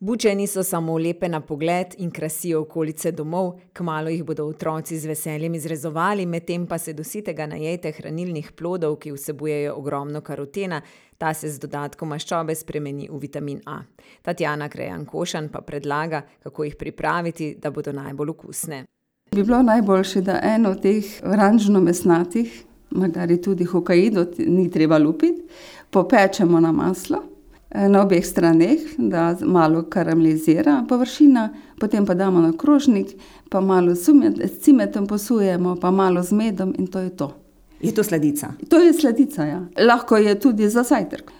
Buče niso samo lepe na pogled in krasijo okolice domov, kmalu jih bodo otroci z veseljem izrezovali, medtem pa se do sitega najejte hranilnih plodov, ki vsebujejo ogromno karotena, ta se z dodatkom maščobe spremeni v vitamin A. Tatjana Krejan-Košan pa predlaga, kako jih pripraviti, da bodo najbolj okusne. Bi bilo najboljše, da eno od teh oranžno-mesnatih, magari tudi hokaido, ni treba lupiti, popečemo na maslo, na obeh straneh, da malo karamelizira površina, potem pa damo na krožnik, pa malo s cimetom posujemo, pa malo z medom in to je to. Je to sladica? To je sladica, ja. Lahko je tudi za zajtrk.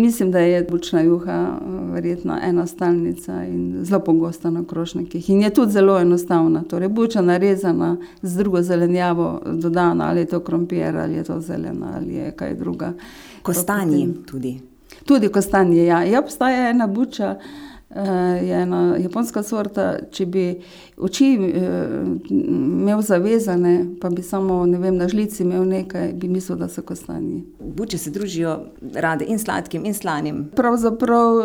Mislim, da je bučna juha verjetno ena stalnica in zelo pogosta na krožnikih. In je tudi zelo enostavna. Torej, buča narezana z drugo zelenjavo dodana, ali je to krompir, ali je to zelena, ali je kaj druga. Kostanji tudi? Tudi kostanji, ja. Je obstaja ena buča, je ena japonska sorta, če bi oči imel zavezane, pa bi samo, na žlici imel nekaj, bi mislil, da so kostanji. Buče se družijo rade in sladkim in slanim. Pravzaprav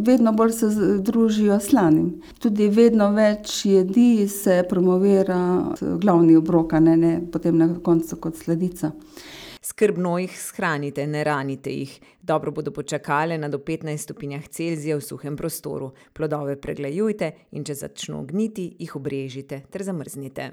vedno bolj se družijo slanim. Tudi vedno več jedi se promovira glavni obrok, ne potem na koncu kot sladica. Skrbno jih shranite, ne ranite jih. Dobro bodo počakale na do 15 stopinjah Celzija v suhem prostoru. Plodove preglejujte in če začno gniti, jih obrežite ter zamrznite.